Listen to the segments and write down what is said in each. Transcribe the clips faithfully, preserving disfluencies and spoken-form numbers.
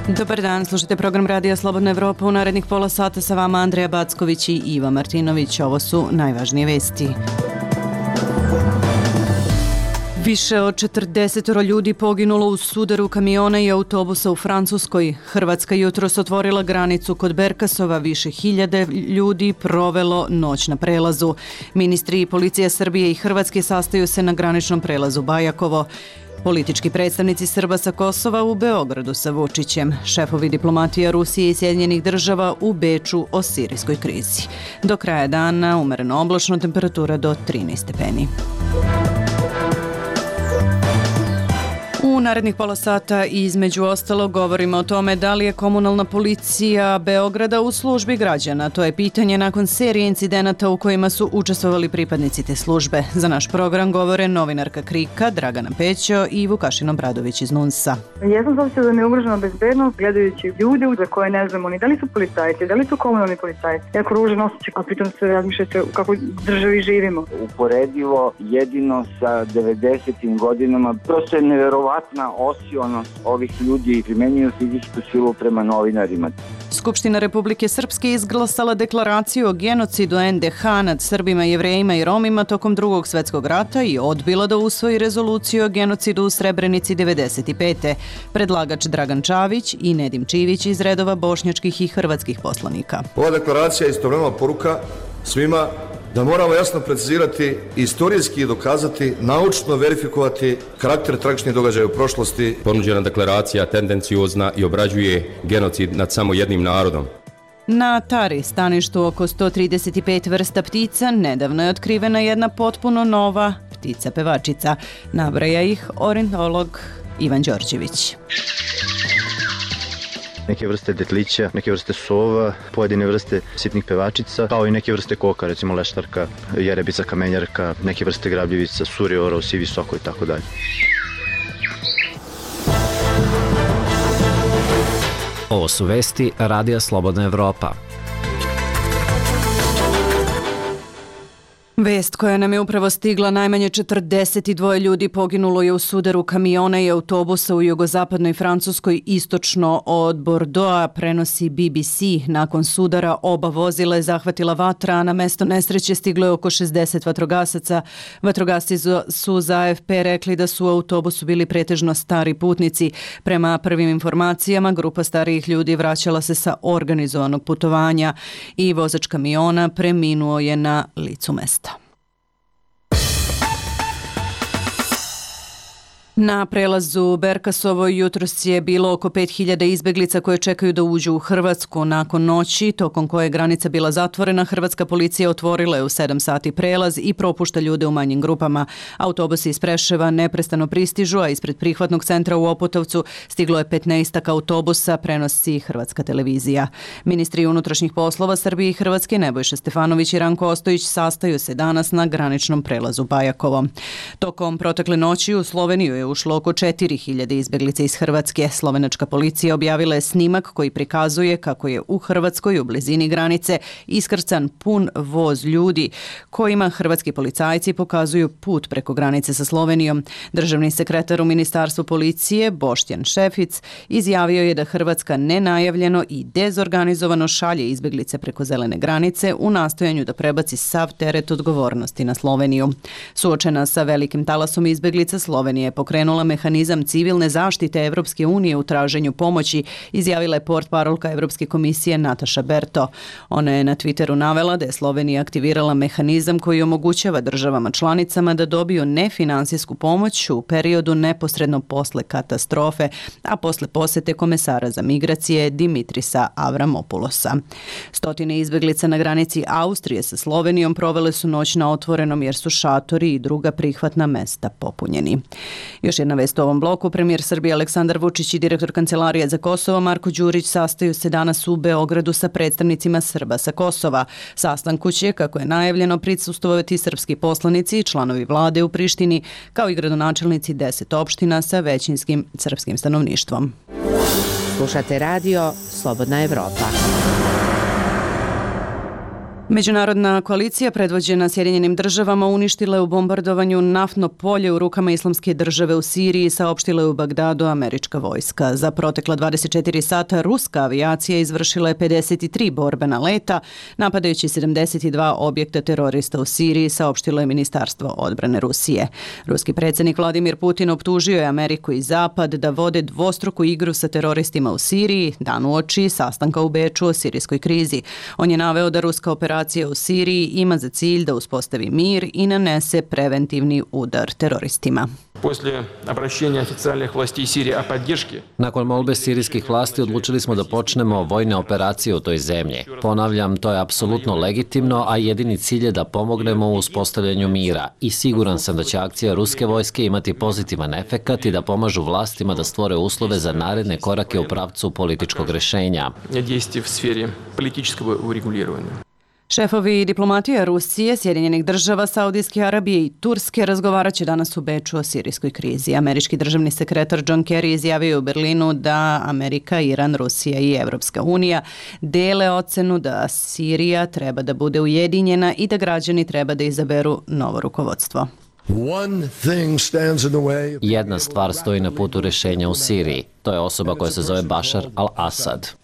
Dobar dan, slušajte program Radija Slobodna Evropa. U narednih pola sata sa vama Andreja Backović i Iva Martinović. Ovo su najvažnije vesti. Više od četrdeset ljudi poginulo u sudaru kamiona i autobusa u Francuskoj. Hrvatska jutros otvorila granicu kod Berkasova. Više hiljade ljudi provelo noć na prelazu. Ministri i policija Srbije i Hrvatske sastaju se na graničnom prelazu Bajakovo. Politički predstavnici Srba sa Kosova u Beogradu sa Vučićem. Šefovi diplomatija Rusije i Sjedinjenih država u Beču o sirijskoj krizi. Do kraja dana umereno oblačno, temperatura do trinaest stepeni. U narednih pola sata između ostalog govorimo o tome da li je komunalna policija Beograda u službi građana. To je pitanje nakon serije incidenata u kojima su učestvovali pripadnici te službe. Za naš program govore novinarka Krika Dragana Pećo i Vukašin Obradović iz Nunsa. Ja sam zavisio da mi je ugrožena bezbednost gledajući ljude za koje ne znamo ni da li su policajci, da li su komunalni policajci. Jako ružan osjećaj, a pritom se razmišljate u kakvoj državi živimo. Uporedivo jedino sa devedesetim godinama, prosto je neverovatno osionost ovih ljudi primenjuju fizičku silu prema novinarima. Skupština Republike Srpske izglasala deklaraciju o genocidu en de ha nad Srbima, Jevrejima i Romima tokom Drugog svetskog rata i odbila da usvoji rezoluciju o genocidu u Srebrenici devedeset pete. Predlagač Dragan Čavić i Nedim Čivić iz redova bošnjačkih i hrvatskih poslanika. Ova deklaracija je istovremeno poruka svima da moramo jasno precizirati, istorijski i dokazati, naučno verifikovati karakter tragičnih događaja u prošlosti. Ponuđena deklaracija tendenciozna i obrađuje genocid nad samo jednim narodom. Na Tari, staništu oko sto trideset pet vrsta ptica, nedavno je otkrivena jedna potpuno nova ptica pevačica. Nabraja ih ornitolog Ivan Đorđević. Neke vrste detlića, neke vrste sova, pojedine vrste sitnih pevačica, kao i neke vrste koka, recimo leštarka, jerebica, kamenjarka, neke vrste grabljivica, suri, orao, sivi soko i tako dalje. Ovo su vesti Radija Slobodna Evropa. Vest koja nam je upravo stigla, najmanje četrdeset dva ljudi poginulo je u sudaru kamiona i autobusa u jugozapadnoj Francuskoj istočno od Bordeauxa, prenosi B B C. Nakon sudara oba vozila je zahvatila vatra, a na mesto nesreće stiglo je oko šezdeset vatrogasaca. Vatrogasci su za A F P rekli da su u autobusu bili pretežno stari putnici. Prema prvim informacijama, grupa starijih ljudi vraćala se sa organizovanog putovanja i vozač kamiona preminuo je na licu mesta. Na prelazu Berkasovo jutros je bilo oko pet hiljada izbeglica koje čekaju da uđu u Hrvatsku. Nakon noći, tokom koje je granica bila zatvorena, hrvatska policija otvorila je u sedam sati prelaz i propušta ljude u manjim grupama. Autobusi iz Preševa neprestano pristižu, a ispred prihvatnog centra u Opotovcu stiglo je petnaestak autobusa, prenosi Hrvatska televizija. Ministri unutrašnjih poslova Srbije i Hrvatske Nebojša Stefanović i Ranko Ostojić sastaju se danas na graničnom prelazu Bajakovo. Tokom protekle noći u Sloveniju je ušlo oko četiri hiljade izbeglica iz Hrvatske. Slovenačka policija objavila je snimak koji prikazuje kako je u Hrvatskoj u blizini granice iskrcan pun voz ljudi kojima hrvatski policajci pokazuju put preko granice sa Slovenijom. Državni sekretar u Ministarstvu policije Boštjan Šefic izjavio je da Hrvatska nenajavljeno i dezorganizovano šalje izbeglice preko zelene granice u nastojanju da prebaci sav teret odgovornosti na Sloveniju. Suočena sa velikim talasom izbeglica, Slovenija je pokrenula mehanizam civilne zaštite Evropske unije u traženju pomoći, izjavila je portparolka Evropske komisije Nataša Berto. Ona je na Twitteru navela da je Slovenija aktivirala mehanizam koji omogućava državama članicama da dobiju nefinansijsku pomoć u periodu neposredno posle katastrofe, a posle posete komesara za migracije Dimitrisa Avramopulosa. Stotine izbeglica na granici Austrije sa Slovenijom provele su noć na otvorenom jer su šatori i druga prihvatna mesta popunjeni. Još jedna vest u ovom bloku. Premijer Srbije Aleksandar Vučić i direktor Kancelarije za Kosovo Marko Đurić sastaju se danas u Beogradu sa predstavnicima Srba sa Kosova. Sastanku će, kako je najavljeno, prisustvovati srpski poslanici i članovi vlade u Prištini, kao i gradonačelnici deset opština sa većinskim srpskim stanovništvom. Slušate radio Slobodna Evropa. Međunarodna koalicija predvođena Sjedinjenim državama uništila je u bombardovanju naftno polje u rukama Islamske države u Siriji, saopštila je u Bagdadu američka vojska. Za protekla dvadeset četiri sata ruska avijacija izvršila je pedeset tri borbena leta, napadajući sedamdeset dva objekta terorista u Siriji, saopštilo je Ministarstvo odbrane Rusije. Ruski predsjednik Vladimir Putin optužio je Ameriku i Zapad da vode dvostruku igru sa teroristima u Siriji, dan uoči sastanka u Beču o sirijskoj krizi. On je naveo da ruska operacija u Siriji ima za cilj da uspostavi mir i nanese preventivni udar teroristima. Nakon molbe sirijskih vlasti odlučili smo da počnemo vojne operacije u toj zemlji. Ponavljam, to je apsolutno legitimno, a jedini cilj je da pomognemo u uspostavljanju mira. I siguran sam da će akcija ruske vojske imati pozitivan efekat i da pomažu vlastima da stvore uslove za naredne korake u pravcu političkog rešenja. Šefovi diplomatija Rusije, Sjedinjenih država, Saudijske Arabije i Turske razgovarat će danas u Beču o sirijskoj krizi. Američki državni sekretar John Kerry izjavio u Berlinu da Amerika, Iran, Rusija i Evropska unija dele ocenu da Sirija treba da bude ujedinjena i da građani treba da izaberu novo rukovodstvo. Jedna stvar stoji na putu rešenja u Siriji. To je osoba koja se zove Bašar al-Asad.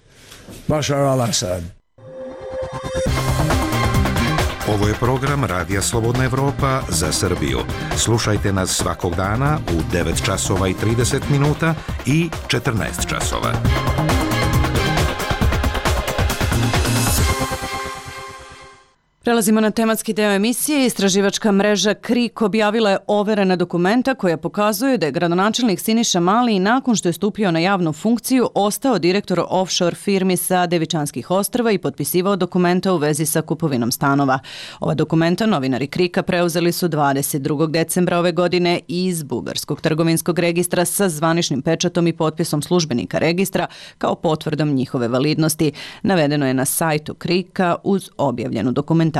Bašar al-Asad. Ovo je program Radija Slobodna Evropa za Srbiju. Slušajte nas svakog dana u devet časova i trideset minuta i četrnaest časova. Prelazimo na tematski deo emisije. Istraživačka mreža KRIK objavila je overena dokumenta koja pokazuje da je gradonačelnik Siniša Mali nakon što je stupio na javnu funkciju ostao direktor offshore firmi sa Devičanskih ostrva i potpisivao dokumenta u vezi sa kupovinom stanova. Ova dokumenta novinari KRIK-a preuzeli su dvadeset drugog decembra ove godine iz Bugarskog trgovinskog registra sa zvaničnim pečatom i potpisom službenika registra kao potvrdom njihove validnosti. Navedeno je na sajtu KRIK-a uz objavljenu dokumentaciju.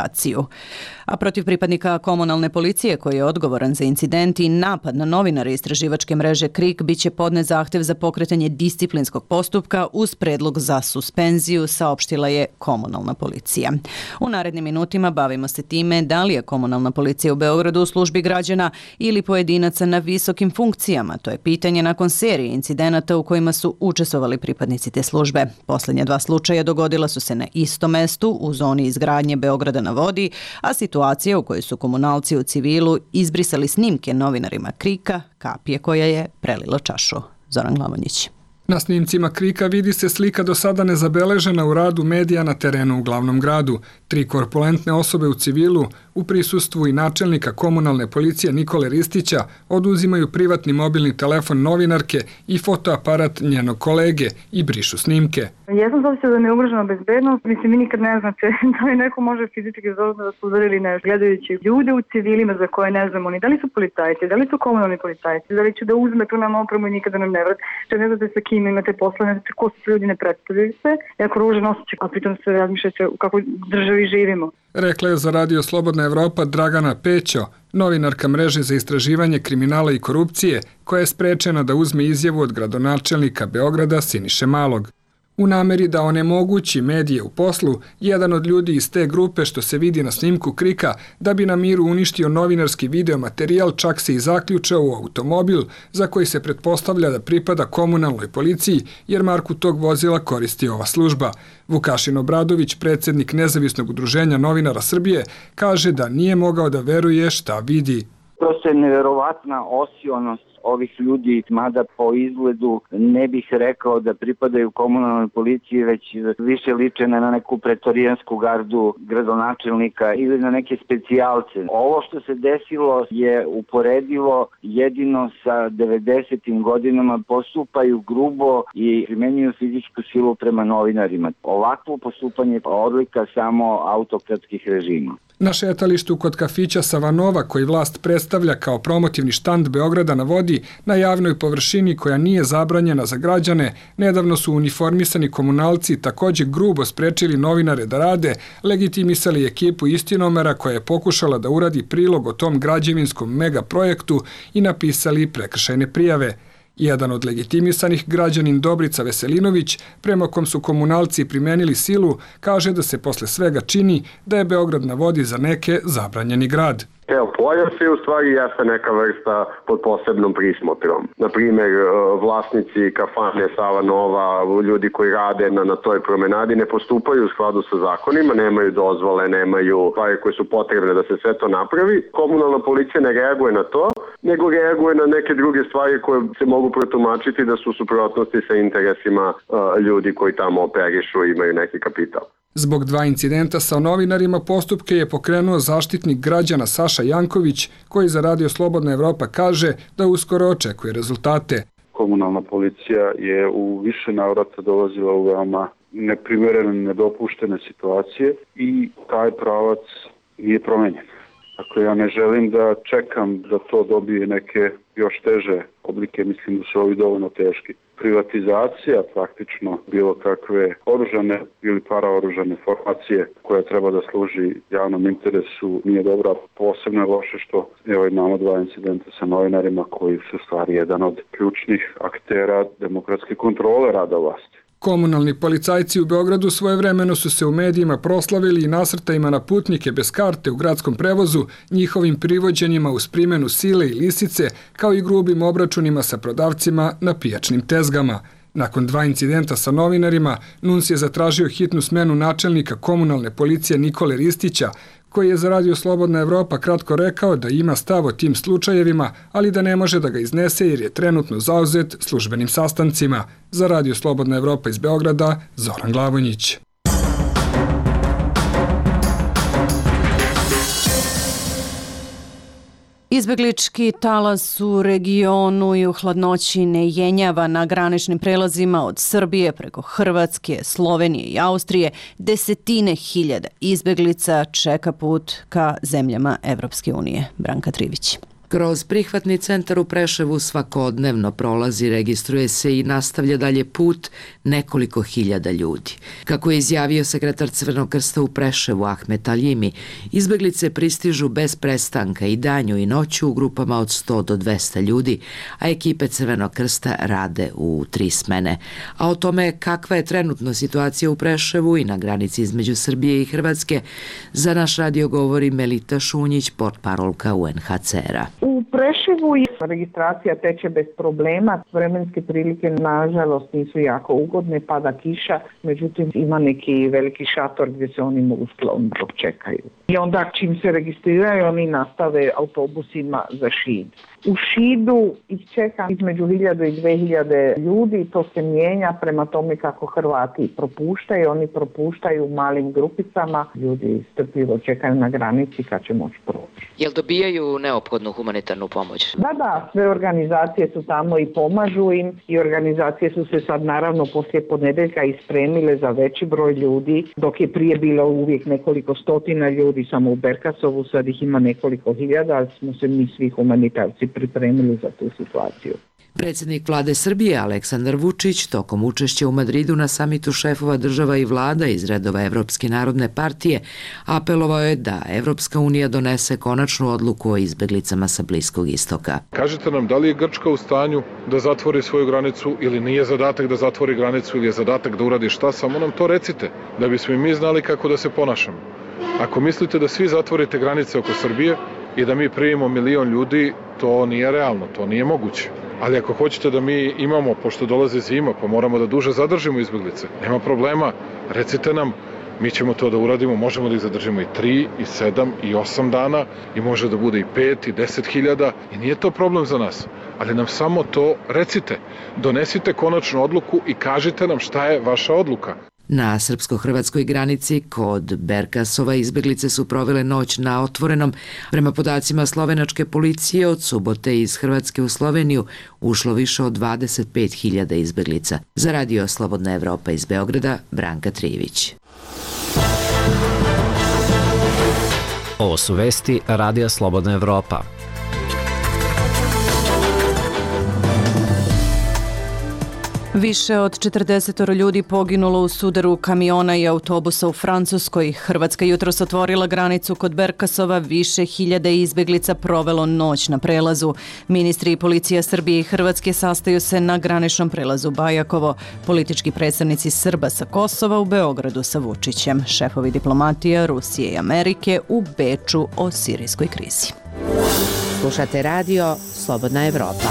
A protiv pripadnika komunalne policije koji je odgovoran za incident i napad na novinare istraživačke mreže KRIK biće podnet zahtev za pokretanje disciplinskog postupka uz predlog za suspenziju, saopštila je komunalna policija. U narednim minutima bavimo se time da li je komunalna policija u Beogradu u službi građana ili pojedinaca na visokim funkcijama. To je pitanje nakon serije incidenata u kojima su učestvovali pripadnici te službe. Posljednja dva slučaja dogodila su se na istom mestu u zoni izgradnje Beograda na vodi, a situacija u kojoj su komunalci u civilu izbrisali snimke novinarima KRIK-a kapije koja je prelila čašu. Zoran Glavonjić. Na snimcima KRIK-a vidi se slika do sada nezabeležena u radu medija na terenu u glavnom gradu. Tri korpulentne osobe u civilu u prisustvu i načelnika komunalne policije Nikole Ristića oduzimaju privatni mobilni telefon novinarke i fotoaparat njenog kolege i brišu snimke. Jesam zavisio da mi je ugrožena bezbednost. Mislim, vi nikad ne znate da li neko može fizički zauzeti da su udarili nešto. Gledajući ljude u civilima za koje ne znamo ni da li su policajci, da li su komunalni policajci, da li će da uzme tu nam opremu i nikada nam ne vrati. Što ne znate sa kim imate posla, ne znate ko su ljudi, ne predstavljaju se. Jako ružan osjećaj, a pritom se razmišljate u kakvoj državi živimo. Rekla je za Radio Slobodna Evropa Dragana Pećo, novinarka mreže za istraživanje kriminala i korupcije, koja je sprečena da uzme izjavu od gradonačelnika Beograda Siniše Malog. U nameri da onemogući medije u poslu, jedan od ljudi iz te grupe što se vidi na snimku KRIK-a da bi na miru uništio novinarski videomaterijal čak se i zaključao u automobil za koji se pretpostavlja da pripada komunalnoj policiji jer marku tog vozila koristi ova služba. Vukašin Obradović, predsjednik Nezavisnog udruženja novinara Srbije, kaže da nije mogao da veruje šta vidi. Prosto je neverovatna osionost ovih ljudi, mada po izgledu ne bih rekao da pripadaju komunalnoj policiji, već više liče na neku pretorijansku gardu gradonačelnika ili na neke specijalce. Ovo što se desilo je uporedivo jedino sa devedesetim godinama, postupaju grubo i primenjuju fizičku silu prema novinarima. Ovakvo postupanje je odlika samo autokratskih režima. Na šetalištu kod kafića Savanova, koji vlast predstavlja kao promotivni štand Beograda na vodi, na javnoj površini koja nije zabranjena za građane, nedavno su uniformisani komunalci također grubo sprečili novinare da rade, legitimisali ekipu Istinomera koja je pokušala da uradi prilog o tom građevinskom megaprojektu i napisali prekršajne prijave. Jedan od legitimisanih, građanin Dobrica Veselinović, prema kom su komunalci primenili silu, kaže da se posle svega čini da je Beograd na vodi za neke zabranjeni grad. Evo, Poljevci u stvari jeste neka vrsta pod posebnom prismotrom. Naprimjer, vlasnici kafane Sava Nova, ljudi koji rade na, na toj promenadi ne postupaju u skladu sa zakonima, nemaju dozvole, nemaju stvari koje su potrebne da se sve to napravi. Komunalna policija ne reaguje na to, nego reaguje na neke druge stvari koje se mogu protumačiti da su u suprotnosti sa interesima uh, ljudi koji tamo operišu i imaju neki kapital. Zbog dva incidenta sa novinarima postupke je pokrenuo zaštitnik građana Saša Janković, koji za Radio Slobodna Evropa kaže da uskoro očekuje rezultate. Komunalna policija je u više navrata dolazila u veoma neprimerene, nedopuštene situacije i taj pravac nije promenjen. Dakle, ja ne želim da čekam da to dobije neke još teže oblike, mislim da su ovi dovoljno teški. Privatizacija praktično bilo kakve oružane ili paraoružane formacije koja treba da služi javnom interesu nije dobra. Posebno je loše što evo imamo dva incidenta sa novinarima koji su stvari jedan od ključnih aktera demokratske kontrole rada vlasti. Komunalni policajci u Beogradu svojevremeno su se u medijima proslavili i nasrtajima na putnike bez karte u gradskom prevozu, njihovim privođenjima uz primjenu sile i lisice, kao i grubim obračunima sa prodavcima na pijačnim tezgama. Nakon dva incidenta sa novinarima, Nuns je zatražio hitnu smenu načelnika komunalne policije Nikole Ristića, koji je za Radio Slobodna Evropa kratko rekao da ima stav o tim slučajevima, ali da ne može da ga iznese jer je trenutno zauzet službenim sastancima. Za Radio Slobodna Evropa iz Beograda, Zoran Glavonjić. Izbeglički talas u regionu i u hladnoći ne jenjava na graničnim prelazima od Srbije preko Hrvatske, Slovenije i Austrije. Desetine hiljada izbeglica čeka put ka zemljama Evropske unije. Branka Trivić. Kroz prihvatni centar u Preševu svakodnevno prolazi, registruje se i nastavlja dalje put nekoliko hiljada ljudi. Kako je izjavio sekretar Crvenog krsta u Preševu Ahmet Aljimi, izbeglice pristižu bez prestanka i danju i noću u grupama od sto do dvesta ljudi, a ekipe Crvenog krsta rade u tri smene. A o tome kakva je trenutno situacija u Preševu i na granici između Srbije i Hrvatske, za naš radio govori Melita Šunjić, portparolka U N H C R-a. U Preševu registracija teče bez problema, vremenske prilike nažalost nisu jako ugodne, pada kiša, međutim ima neki veliki šator gdje se oni mogu skloniti dok čekaju. I onda čim se registriraju oni nastave autobusima za Šid. U Šidu ih čeka između hiljadu i dve hiljade ljudi, to se mijenja prema tome kako Hrvati propuštaju, oni propuštaju u malim grupicama, ljudi strpljivo čekaju na granici kad će moći proći. Jel dobijaju neophodnu humanitarnu pomoć? Da, da, sve organizacije su tamo i pomažu im i organizacije su se sad naravno poslije ponedeljka ispremile za veći broj ljudi, dok je prije bilo uvijek nekoliko stotina ljudi samo u Berkasovu, sad ih ima nekoliko hiljada, ali smo se mi svi humanitarci pripremili za tu situaciju. Predsjednik vlade Srbije Aleksandar Vučić tokom učešća u Madridu na samitu šefova država i vlada iz redova Evropske narodne partije apelovao je da Evropska unija donese konačnu odluku o izbeglicama sa Bliskog istoka. Kažite nam, da li je Grčka u stanju da zatvori svoju granicu ili nije zadatak da zatvori granicu ili je zadatak da uradi šta, samo nam to recite, da bismo i mi znali kako da se ponašamo. Ako mislite da svi zatvorite granice oko Srbije i da mi primimo milion ljudi, to nije realno, to nije moguće. Ali ako hoćete da mi imamo, pošto dolaze zima, pa moramo da duže zadržimo izbeglice, nema problema, recite nam, mi ćemo to da uradimo, možemo da ih zadržimo i tri, i sedam, i osam dana, i može da bude i pet, i deset hiljada, i nije to problem za nas. Ali nam samo to recite, donesite konačnu odluku i kažite nam šta je vaša odluka. Na srpsko-hrvatskoj granici kod Berkasova izbeglice su provele noć na otvorenom. Prema podacima slovenačke policije, od subote iz Hrvatske u Sloveniju ušlo više od dvadeset pet hiljada izbeglica. Za Radio Slobodna Evropa iz Beograda, Branka Trivić. Ovo su vesti Radija Slobodna Evropa. Više od četrdeset ljudi poginulo u sudaru kamiona i autobusa u Francuskoj. Hrvatska jutros otvorila granicu kod Berkasova, više hiljada izbeglica provelo noć na prelazu. Ministri i policija Srbije i Hrvatske sastaju se na graničnom prelazu Bajakovo. Politički predstavnici Srba sa Kosova u Beogradu sa Vučićem. Šefovi diplomatija Rusije i Amerike u Beču o sirijskoj krizi. Slušate radio Slobodna Evropa.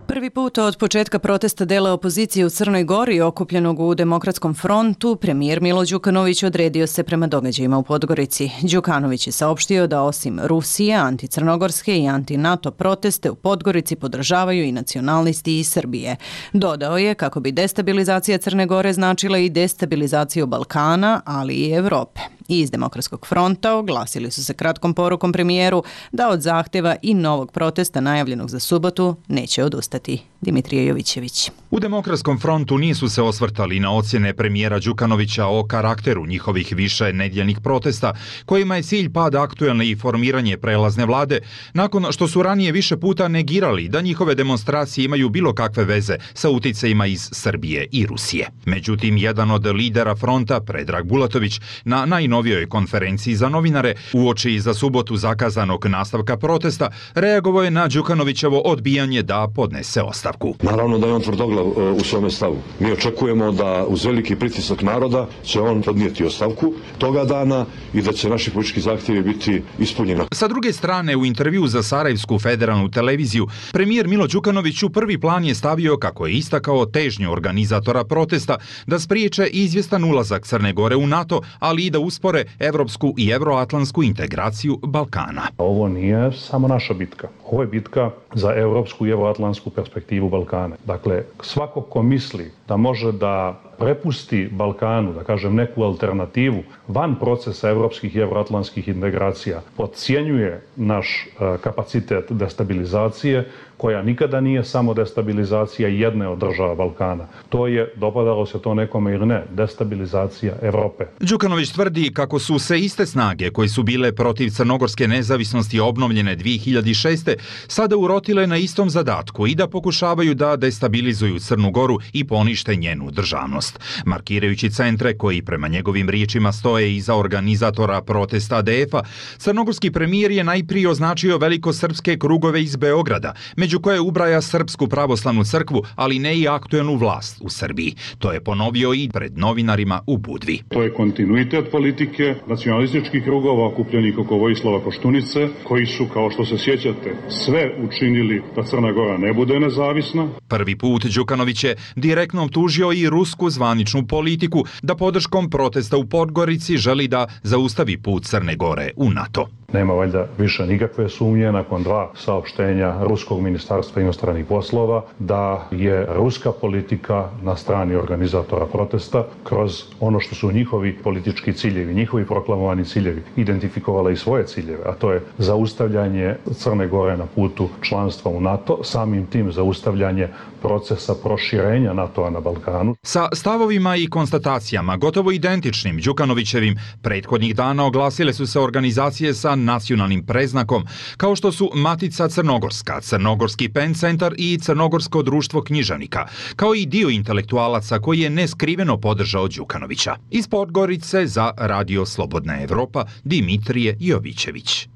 Prvi put od početka protesta dela opozicije u Crnoj Gori okupljenog u Demokratskom frontu, premijer Milo Đukanović odredio se prema događajima u Podgorici. Đukanović je saopštio da osim Rusije, anticrnogorske i anti-NATO proteste u Podgorici podržavaju i nacionalisti iz Srbije. Dodao je kako bi destabilizacija Crne Gore značila i destabilizaciju Balkana, ali i Evrope. I iz Demokratskog fronta oglasili su se kratkom porukom premijeru da od zahtjeva i novog protesta najavljenog za subotu neće odustati. Dimitrije Jovićević. U Demokratskom frontu nisu se osvrtali na ocjene premijera Đukanovića o karakteru njihovih više nedjeljnih protesta, kojima je cilj pad aktuelne i formiranje prelazne vlade, nakon što su ranije više puta negirali da njihove demonstracije imaju bilo kakve veze sa uticajima iz Srbije i Rusije. Međutim, jedan od lidera fronta, Predrag Bulatović, na najnovijoj konferenciji za novinare, uoči za subotu zakazanog nastavka protesta, reagovao je na Đukanovićevo odbijanje da podnese ostavku. Naravno da je on tvrdoglav u svome stavu. Mi očekujemo da uz veliki pritisak naroda će on podnijeti ostavku toga dana i da će naši politički zahtjevi biti ispunjeni. Sa druge strane, u intervju za Sarajevsku federalnu televiziju, premijer Milo Đukanović u prvi plan je stavio, kako je istakao, težnju organizatora protesta da spriječe izvjestan ulazak Crne Gore u NATO, ali i da uspore evropsku i evroatlantsku integraciju Balkana. Ovo nije samo naša bitka. Ovo je bitka za evropsku i evroatlantsku perspektivu Balkana. Dakle, svako ko misli da može da prepusti Balkanu, da kažem, neku alternativu van procesa evropskih i evroatlantskih integracija, podcjenjuje naš uh, kapacitet destabilizacije, koja nikada nije samo destabilizacija jedne od država Balkana. To je, dopadalo se to nekome ili ne, destabilizacija Evrope. Đukanović tvrdi kako su se iste snage koje su bile protiv crnogorske nezavisnosti obnovljene dvije hiljade šeste. sada urotile na istom zadatku i da pokušavaju da destabilizuju Crnu Goru i ponište njenu državnost. Markirajući centre koji prema njegovim riječima stoje iza organizatora protesta A D F-a, crnogorski premijer je najprije označio velikosrpske krugove iz Beograda, među koje ubraja Srpsku pravoslavnu crkvu, ali ne i aktuelnu vlast u Srbiji. To je ponovio i pred novinarima u Budvi. To je kontinuitet politike nacionalističkih krugova okupljenih oko Vojislava Koštunice, koji su, kao što se sjećate, sve učinili da Crna Gora ne bude nezavisna. Prvi put Đukanović je direktno optužio i rusku zvaničnu politiku da podrškom protesta u Podgorici želi da zaustavi put Crne Gore u NATO. Nema valjda više nikakve sumnje nakon dva saopštenja Ruskog ministarstva inostranih poslova da je ruska politika na strani organizatora protesta kroz ono što su njihovi politički ciljevi, njihovi proklamovani ciljevi, identifikovala i svoje ciljeve, a to je zaustavljanje Crne Gore na putu članstva u NATO, samim tim zaustavljanje procesa proširenja NATO-a na Balkanu. Sa stavovima i konstatacijama gotovo identičnim Đukanovićevim prethodnih dana oglasile su se organizacije sa nacionalnim preznakom, kao što su Matica Crnogorska, Crnogorski pen centar i Crnogorsko društvo književnika, kao i dio intelektualaca koji je neskriveno podržao Đukanovića. Iz Podgorice za Radio Slobodna Evropa, Dimitrije Jovićević.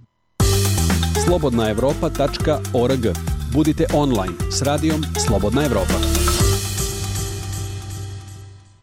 slobodna evropa tačka org. Budite online s radijom Slobodna Evropa.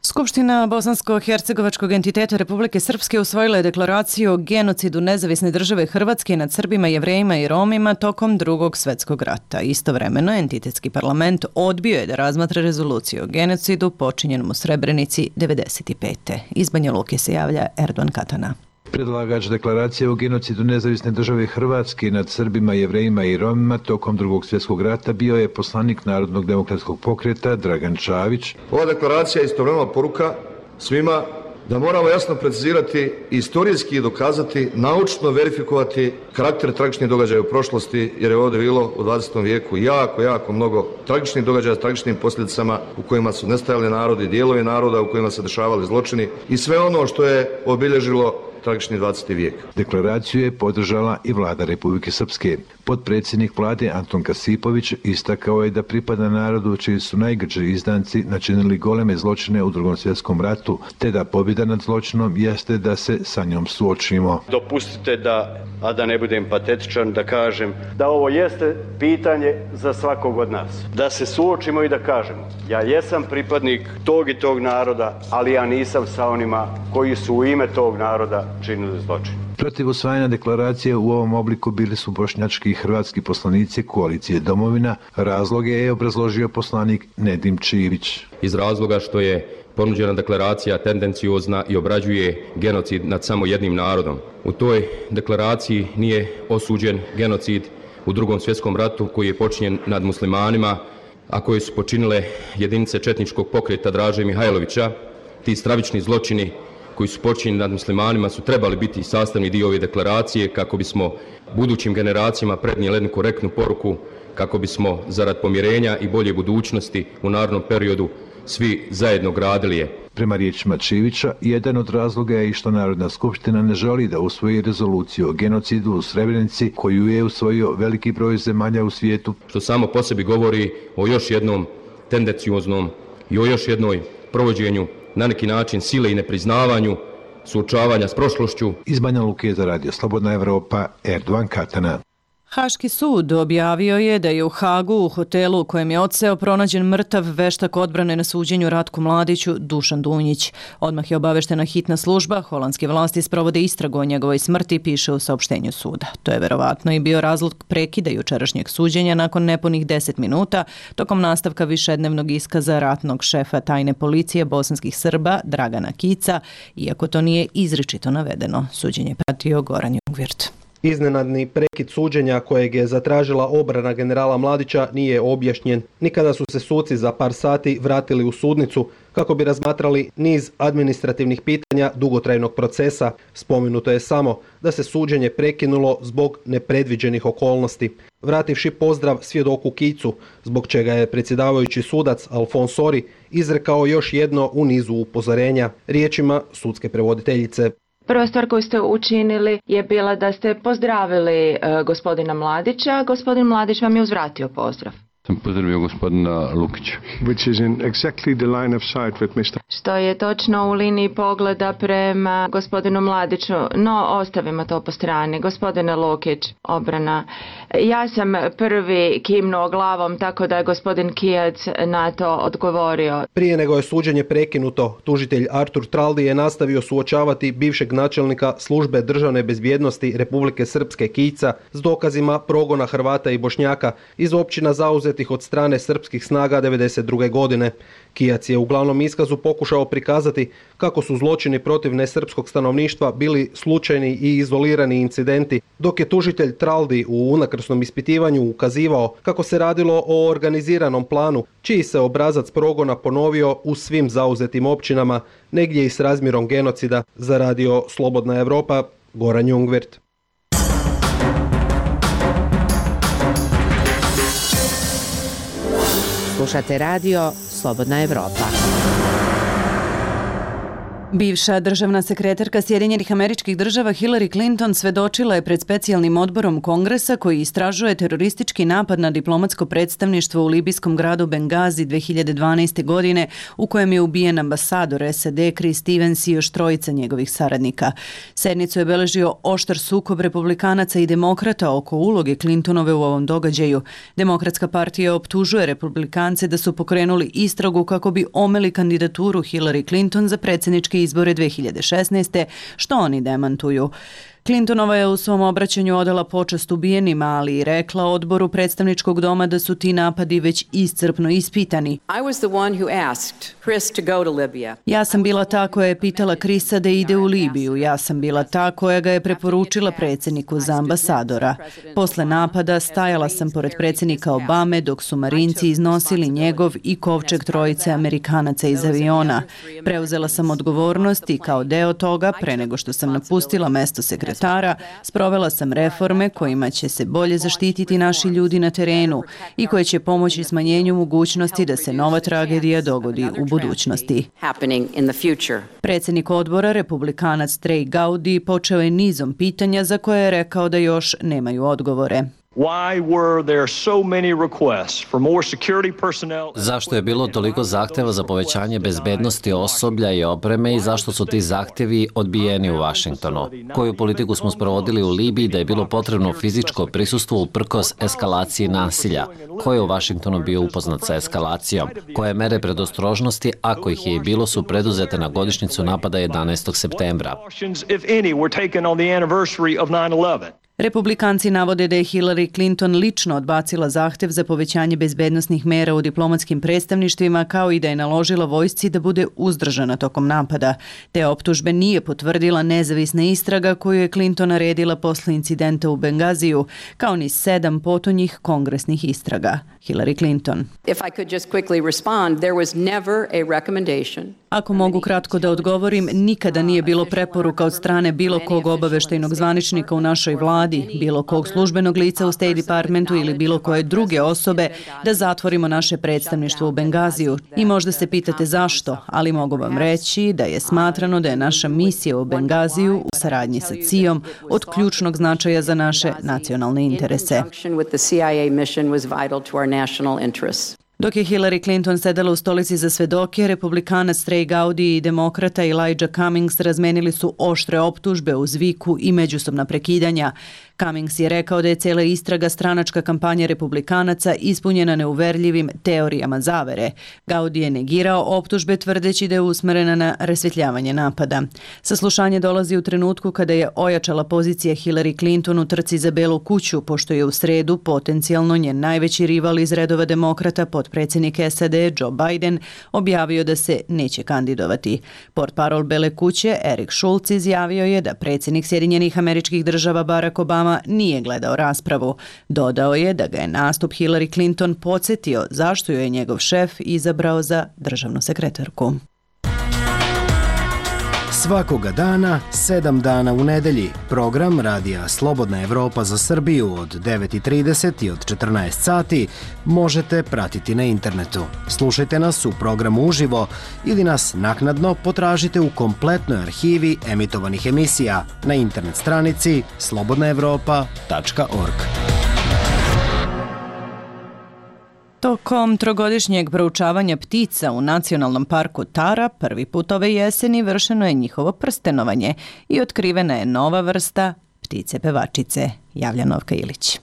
Skupština Bosansko-hercegovačkog entiteta Republike Srpske usvojila je deklaraciju o genocidu nezavisne države Hrvatske nad Srbima, Jevrejima i Romima tokom Drugog svjetskog rata. Istovremeno, entitetski parlament odbio je da razmatra rezoluciju o genocidu počinjenom u Srebrenici devedeset pete. Iz Banja Luke se javlja Erdogan Katana. Predlagač deklaracije o genocidu nezavisne države Hrvatske nad Srbima, Jevrejima i Romima tokom Drugog svjetskog rata bio je poslanik Narodnog demokratskog pokreta Dragan Čavić. Ova deklaracija je istovremeno poruka svima da moramo jasno precizirati, istorijski dokazati, naučno verifikovati karakter tragičnih događaja u prošlosti, jer je ovdje bilo u dvadesetom vijeku jako, jako mnogo tragičnih događaja s tragičnim posljedicama u kojima su nestajali narodi, dijelovi naroda u kojima se dešavali zločini i sve ono što je obilježilo tragični dvadeseti vijek. Deklaraciju je podržala i vlada Republike Srpske. Potpredsjednik vlade Anton Kasipović istakao je da pripada narodu čiji su najgrđi izdanci načinili goleme zločine u Drugom svjetskom ratu, te da pobjeda nad zločinom jeste da se sa njom suočimo. Dopustite da, a da ne budem patetičan, da kažem da ovo jeste pitanje za svakog od nas. Da se suočimo i da kažemo, ja jesam pripadnik tog i tog naroda, ali ja nisam sa onima koji su u ime tog naroda činili zločin. Protiv usvajanja deklaracije u ovom obliku bili su bošnjački i hrvatski poslanici koalicije Domovina. Razloge je obrazložio poslanik Nedim Čivić. Iz razloga što je ponuđena deklaracija tendenciozna i obrađuje genocid nad samo jednim narodom. U toj deklaraciji nije osuđen genocid u Drugom svjetskom ratu koji je počinjen nad muslimanima, a koje su počinile jedinice četničkog pokreta Draže Mihajlovića. Ti stravični zločini koji su počinjeni nad muslimanima su trebali biti sastavni dio ove deklaracije kako bismo budućim generacijama prenijeli jednu korektnu poruku, kako bismo zarad pomirenja i bolje budućnosti u narednom periodu svi zajedno gradili je. Prema riječima Čivića, jedan od razloga je i što Narodna skupština ne želi da usvoji rezoluciju o genocidu u Srebrenici koju je usvojio veliki broj zemalja u svijetu. Što samo po sebi govori o još jednom tendencioznom i o još jednoj provođenju na neki način sile i nepriznavanju, suočavanja s prošlošću. Iz Banja Luke za Radio Slobodna Evropa, Erdovan Katana. Haški sud objavio je da je u Hagu u hotelu u kojem je odseo pronađen mrtav veštak odbrane na suđenju Ratku Mladiću Dušan Dunjić. Odmah je obaveštena hitna služba, holandske vlasti sprovode istragu o njegovoj smrti, piše u saopštenju suda. To je verovatno i bio razlog prekida jučerašnjeg suđenja nakon nepunih deset minuta, tokom nastavka višednevnog iskaza ratnog šefa tajne policije bosanskih Srba Dragana Kica, iako to nije izričito navedeno. Suđenje pratio Goran Jungvirt. Iznenadni prekid suđenja kojeg je zatražila obrana generala Mladića nije objašnjen. Nikada su se suci za par sati vratili u sudnicu kako bi razmatrali niz administrativnih pitanja dugotrajnog procesa. Spomenuto je samo da se suđenje prekinulo zbog nepredviđenih okolnosti. Vrativši pozdrav svjedoku Kicu, zbog čega je predsjedavajući sudac Alfons Sori izrekao još jedno u nizu upozorenja, riječima sudske prevoditeljice. Prva stvar koju ste učinili je bila da ste pozdravili uh, gospodina Mladića. Gospodin Mladić vam je uzvratio pozdrav. Sam pozdravio gospodina Lukića. Which is in exactly the line of sight with mister Što je točno u liniji pogleda prema gospodinu Mladiću, no ostavimo to po strani. Gospodine Lukić, obrana. Ja sam prvi kimnuo glavom, tako da je gospodin Kijac na to odgovorio. Prije nego je suđenje prekinuto, tužitelj Artur Traldi je nastavio suočavati bivšeg načelnika službe državne bezbjednosti Republike Srpske Kica s dokazima progona Hrvata i Bošnjaka iz općina zauzetih od strane srpskih snaga devedeset druge godine. Kijac je u glavnom iskazu pokušao prikazati kako su zločini protiv nesrpskog stanovništva bili slučajni i izolirani incidenti, dok je tužitelj Traldi u unakrsnom ispitivanju ukazivao kako se radilo o organiziranom planu, čiji se obrazac progona ponovio u svim zauzetim općinama, negdje i s razmjerom genocida. Za Radio Slobodna Evropa, Goran Jungvirt. Slušate radio Slobodna Evropa. Bivša državna sekretarka Sjedinjenih Američkih Država Hillary Clinton svedočila je pred specijalnim odborom Kongresa koji istražuje teroristički napad na diplomatsko predstavništvo u libijskom gradu Bengazi dvije hiljade dvanaeste. godine u kojem je ubijen ambasador S A D Chris Stevens i još trojica njegovih saradnika. Sednicu je beležio oštar sukob republikanaca i demokrata oko uloge Clintonove u ovom događaju. Demokratska partija optužuje republikance da su pokrenuli istragu kako bi omeli kandidaturu Hillary Clinton za predsjednički izbore dvije hiljade šesnaeste. što oni demantuju. Clintonova je u svom obraćanju odala počast ubijenima, ali i rekla odboru predstavničkog doma da su ti napadi već iscrpno ispitani. I was the one who asked Chris to go to Libya. Ja sam bila ta koja je pitala Krisa da ide u Libiju. Ja sam bila ta koja ga je preporučila predsjedniku za ambasadora. Posle napada stajala sam pored predsjednika Obame dok su Marinci iznosili njegov i kovčeg trojice Amerikanaca iz aviona. Preuzela sam odgovornost i kao deo toga, pre nego što sam napustila mesto sekretara Tara, sprovela sam reforme kojima će se bolje zaštititi naši ljudi na terenu i koje će pomoći smanjenju mogućnosti da se nova tragedija dogodi u budućnosti. Predsjednik odbora, republikanac Trey Gowdy, počeo je nizom pitanja za koje je rekao da još nemaju odgovore. Zašto je bilo toliko zahteva za povećanje bezbednosti osoblja i opreme i zašto su ti zahtevi odbijeni u Vašingtonu? Koju politiku smo sprovodili u Libiji da je bilo potrebno fizičko prisustvo uprkos eskalaciji nasilja? Ko je u Vašingtonu bio upoznat sa eskalacijom? Koje mere predostrožnosti, ako ih je i bilo, su preduzete na godišnjicu napada jedanaestog septembra? Republikanci navode da je Hillary Clinton lično odbacila zahtev za povećanje bezbednosnih mera u diplomatskim predstavništvima, kao i da je naložila vojsci da bude uzdržana tokom napada. Te optužbe nije potvrdila nezavisna istraga koju je Clinton naredila posle incidenta u Bengaziju, kao ni sedam potonjih kongresnih istraga. Hillary Clinton. If I could just quickly respond, there was never a recommendation. Ako mogu kratko da odgovorim, nikada nije bilo preporuka od strane bilo kog obaveštajnog zvaničnika u našoj vladi, bilo kog službenog lica u State Departmentu ili bilo koje druge osobe da zatvorimo naše predstavništvo u Bengaziju. I možda se pitate zašto, ali mogu vam reći da je smatrano da je naša misija u Bengaziju u saradnji sa C I A-om od ključnog značaja za naše nacionalne interese. Dok je Hillary Clinton sedela u stolici za svedoke, republikanac Trey Gowdy i demokrata Elijah Cummings razmenili su oštre optužbe uz viku i međusobna prekidanja. Cummings je rekao da je cijela istraga stranačka kampanja republikanaca ispunjena neuverljivim teorijama zavere. Gowdy je negirao optužbe tvrdeći da je usmerena na rasvjetljavanje napada. Saslušanje dolazi u trenutku kada je ojačala pozicija Hillary Clinton u trci za Belu kuću, pošto je u sredu potencijalno njen najveći rival iz redova demokrata, potpredsjednik S A D Joe Biden, objavio da se neće kandidovati. Portparol Bele kuće Eric Schultz izjavio je da predsjednik Sjedinjenih Američkih Država Barack Obama nije gledao raspravu. Dodao je da ga je nastup Hillary Clinton podsjetio zašto joj je njegov šef izabrao za državnu sekretarku. Svakoga dana, sedam dana u nedelji, program Radija Slobodna Evropa za Srbiju od devet i trideset i od četrnaest sati možete pratiti na internetu. Slušajte nas u programu uživo ili nas naknadno potražite u kompletnoj arhivi emitovanih emisija na internet stranici slobodna evropa tačka org. Tokom trogodišnjeg proučavanja ptica u Nacionalnom parku Tara prvi put ove jeseni vršeno je njihovo prstenovanje i otkrivena je nova vrsta ptice pevačice, javlja Novka Ilić.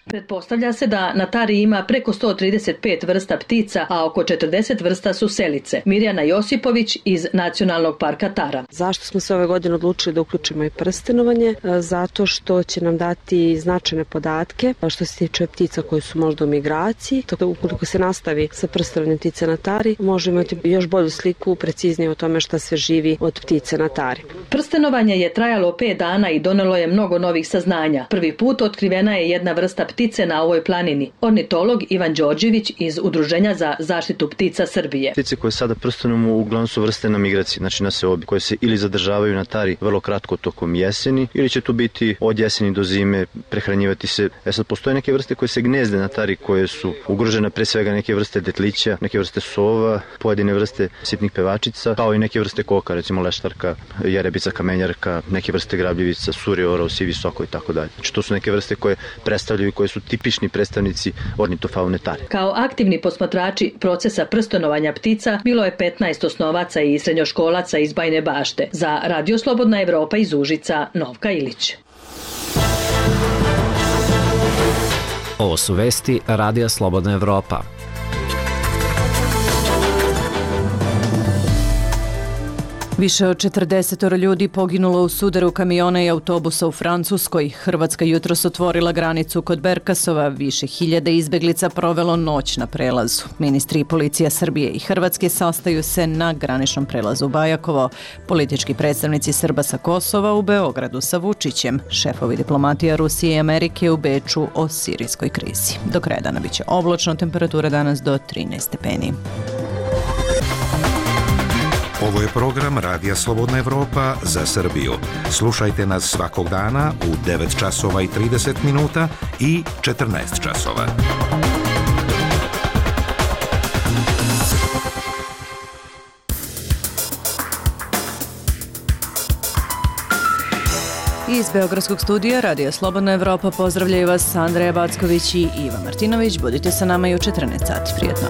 Pretpostavlja se da na Tari ima preko sto trideset pet vrsta ptica, a oko četrdeset vrsta su selice. Mirjana Josipović iz Nacionalnog parka Tara. Zašto smo se ove godine odlučili da uključimo i prstenovanje? Zato što će nam dati značajne podatke što se tiče ptica koje su možda u migraciji. Tako ukoliko se nastavi sa prstenovanjem ptice na Tari, možemo imati još bolju sliku, preciznije o tome šta sve živi od ptice na Tari. Prstenovanje je trajalo pet dana i donelo je mnogo novih saznanja. Prvi put otkrivena je jedna vrsta ptice na ovoj planini. Ornitolog Ivan Đorđević iz Udruženja za zaštitu ptica Srbije. Ptice koje sada prstenujemo uglavnom su vrste na migraciji, znači na seobi, koje se ili zadržavaju na Tari vrlo kratko tokom jeseni, ili će tu biti od jeseni do zime, prehranjivati se. E sad, postoje neke vrste koje se gnezde na Tari, koje su ugrožene, pre svega neke vrste detlića, neke vrste sova, pojedine vrste sitnih pevačica, kao i neke vrste koka, recimo leštarka, jerebica, kamenjarka, neke vrste grabljivica, suri, orao, sivi soko i tako dalje. Znači to su neke vrste koje predstavljaju, koje su tipični predstavnici ornitofaune Tare. Kao aktivni posmatrači procesa prstenovanja ptica bilo je petnaest osnovaca i srednjoškolaca iz Bajine Bašte. Za Radio Slobodna Evropa iz Užica, Novka Ilić. Ovo su vesti Radija Slobodna Evropa. Više od četrdeset ljudi poginulo u sudaru kamiona i autobusa u Francuskoj. Hrvatska jutros otvorila granicu kod Berkasova. Više hiljada izbeglica provelo noć na prelazu. Ministri i policija Srbije i Hrvatske sastaju se na graničnom prelazu Bajakovo. Politički predstavnici Srba sa Kosova u Beogradu sa Vučićem. Šefovi diplomatija Rusije i Amerike u Beču o sirijskoj krizi. Do kraja dana biće oblačno, temperatura danas do trinaest stepeni. Ovo je program Radija Slobodna Evropa za Srbiju. Slušajte nas svakog dana u devet časova i trideset minuta i četrnaest časova. Iz Beogradskog studija Radija Slobodna Evropa pozdravljaju vas Andreja Backović i Iva Martinović. Budite sa nama i u četrnaest sati. Prijetno.